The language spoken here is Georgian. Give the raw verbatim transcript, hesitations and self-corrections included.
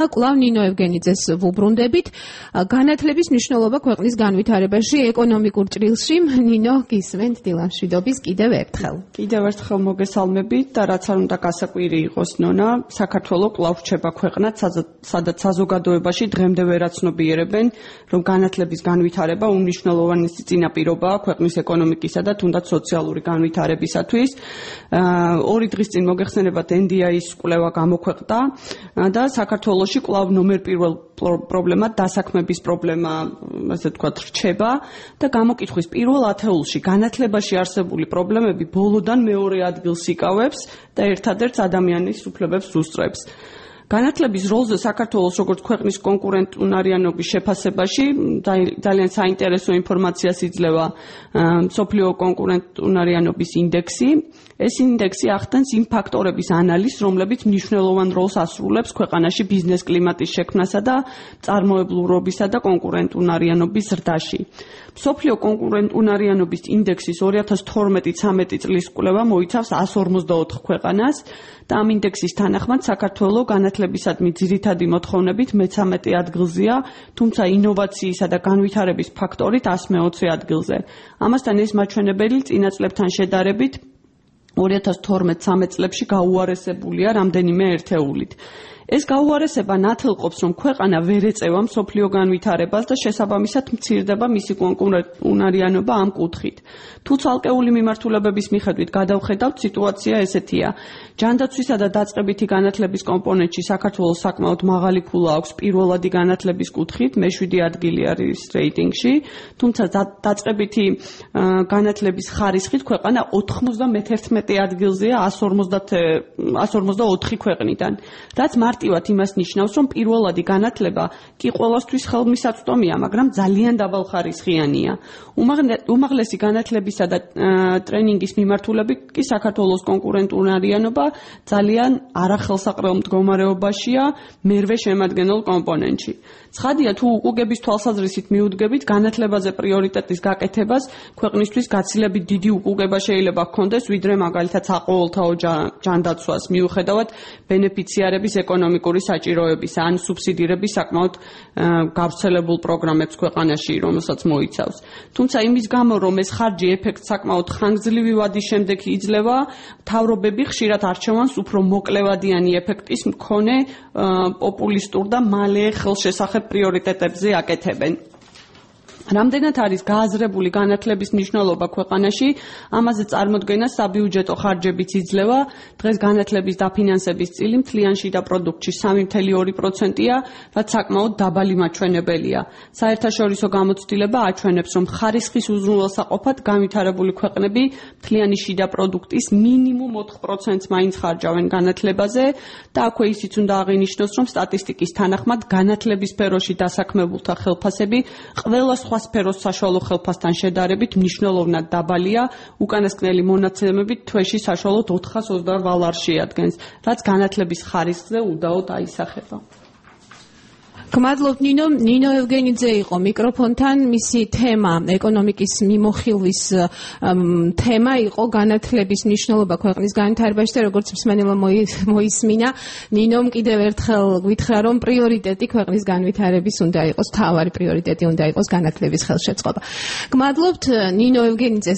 კვლავ ნინო ევგენიძეს ვუბრუნდებით. განათლების მნიშვნელობა ქვეყნის განვითარებაში, ეკონომიკურ ჭრილში. ნინო, გისმენთ დილამშვიდობის კიდევ ერთხელ. კიდევ ერთხელ მოგესალმებით და რაც არ უნდა გასაკვირი იყოს, ნონა, საქართველოს კვლავ რჩება ქვეყნად, სადაც საზოგადოებაში დღემდე ვერაცნობიერებენ, რომ განათლების განვითარება უმნიშვნელოვანესი წინაპირობაა ქვეყნის ეკონომიკისა და თუნდაც სოციალური განვითარებისათვის. ორი დღის წინ მოგეხსენებათ ენ დი აის კვლევა გამოქვეყნდა და საქართველოს კვლავ ნომერ პირველ პრობლემა დასაქმების პრობლემა, ასე ვთქვათ, რჩება და გამოკითხვის პირველ ათეულში განათლებაში არსებული პრობლემები ბოლოდან მეორე ადგილს იკავებს და ერთადერთ ადამიანის უფლებებს უსწრებს. განათლების როლზე საქართველოს როგორც ქვეყნის კონკურენტუნარიანობის შეფასებაში ძალიან საინტერესო ინფორმაციას იძლევა მსოფლიო კონკურენტუნარიანობის ინდექსი. ეს ინდექსი ახდენს იმ ფაქტორების ანალიზს, რომლებიც მნიშვნელოვან როლს ასრულებს ქვეყანაში ბიზნეს კლიმატის შექმნასა და წარმოებლურობისა და კონკურენტუნარიანობის ზრდაში. მსოფლიო კონკურენტუნარიანობის ინდექსის ორი ათას თორმეტი ცამეტი წლის კვლევა მოიცავს εκατს ორმოცდაოთხ ქვეყანას და ამ ინდექსის თანახმად საქართველოს განათლებისადმი ძირითადი მოთხოვნებით მეთორმეტე ადგილზეა, თუმცა ინოვაციისა და განვითარების ფაქტორით εκατს მეოცე ადგილზე. ამასთან ეს მაჩვენებელი წინა წლებთან შედარებით ორი ათას თორმეტ ცამეტ წლებში გაუარესებულია რამდენიმე ერთეულით. ეს გაუარესება ნათელყოფს, რომ ქვეყანა ვერ ეწევა მსოფლიო განვითარებას და შესაბამისად მცირდება მისი კონკურენტუნარიანობა ამ კუთხით. თუ ცალკეული მიმართულებების მიხედვით გადავხედავთ, სიტუაცია ესეთია. ჯანდაცვისა და დაწყებითი განათლების კომპონენტში საქართველოს საკმაოდ მაღალი ქულა აქვს პირველადი განათლების კუთხით, მეშვიდე ადგილი არის რეიტინგში, თუმცა დაწყებითი განათლების ხარისხით ქვეყანა ოცდამეთერთმეტე ადგილზეა εκατს ორმოცდაოთხი ქვეყნიდან, რაც მარტივად იმას ნიშნავს, რომ პირველადი განათლება კი ყველასთვის ხელმისაწვდომია, მაგრამ ძალიან დაბალხარისხიანია. უმაღლესი განათლებისა და ტრენინგის მიმართულებით კი საქართველოს კონკურენტუნარიანობა ძალიან არახელსაყრელ მდგომარეობაშია მერვე შემადგენელ კომპონენტში. ცხადია, თუ უკუგების თვალსაზრისით მიუდგებით განათლებაზე პრიორიტეტის გაკეთებას, ქვეყნისთვის გაცილებით დიდი უკუგება შეიძლება ჰქონდეს, ვიდრე მაგალითად საყოველთაო ჯანდაცვას, მიუხედავად ბენეფიციარების ეკონომიკური საჭიროებისა ან სუბსიდირების საკმაოდ გავრცელებულ პროგრამებს ქვეყანაში, რომელსაც მოიცავს. თუმცა იმის გამო, რომ ეს ხარჯი ეფექტ საკმაოდ ხანგრძლივი ვადის შემდეგ იძლევა, მთავრობები ხშირად არჩევანს უფრო მოკლევადიანი ეფექტის მქონე პოპულისტურ და მალე ხელშესახებ პრიორიტეტებზე აკეთებენ. რამდენად არის გააზრებული განათლების მნიშვნელობა ქვეყანაში, ამაზე წარმოდგენას საბიუჯეტო ხარჯებიც იძლევა. დღეს განათლების დაფინანსების წილი მთლიან შიდა პროდუქტში სამი კoma ორი პროცენტია, რაც საკმაოდ დაბალი მაჩვენებელია. საერთაშორისო გამოცდილება აჩვენებს, რომ ხარისხის უზრუნველსაყოფად განვითარებული ქვეყნები მთლიანი შიდა პროდუქტის მინიმუმ ოთხ პროცენტს მაინც ხარჯავენ განათლებაზე და აქვე ისიც უნდა აღინიშნოს, რომ სტატისტიკის თანახმად განათლების სფეროში დასაქმებულთა ხელფასები ყველა სხვა სფეროს საშუალო ხელფასთან შედარებით მნიშვნელოვნად დაბალია, უკანასკნელი მონაცემებით თვეში საშუალოდ ოთხას ოცდაორ ვალარს შეადგენს, რაც განათლების ხარისხზე უდაოდ აისახება. გმადლობთ ნინო, ნინო ევგენიძე იყო მიკროფონთან, მისი თემა, ეკონომიკის მიმოხილვის თემა იყო განათლების მნიშვნელობა ქვეყნის განვითარებაში და როგორც მსმენელმა მოისმინა, ნინომ კიდევ ერთხელ გითხრა, რომ პრიორიტეტი ქვეყნის განვითარების უნდა იყოს, მთავარი პრიორიტეტი უნდა იყოს განათლების ხელშეწყობა. გმადლობთ ნინო ევგენიძეს.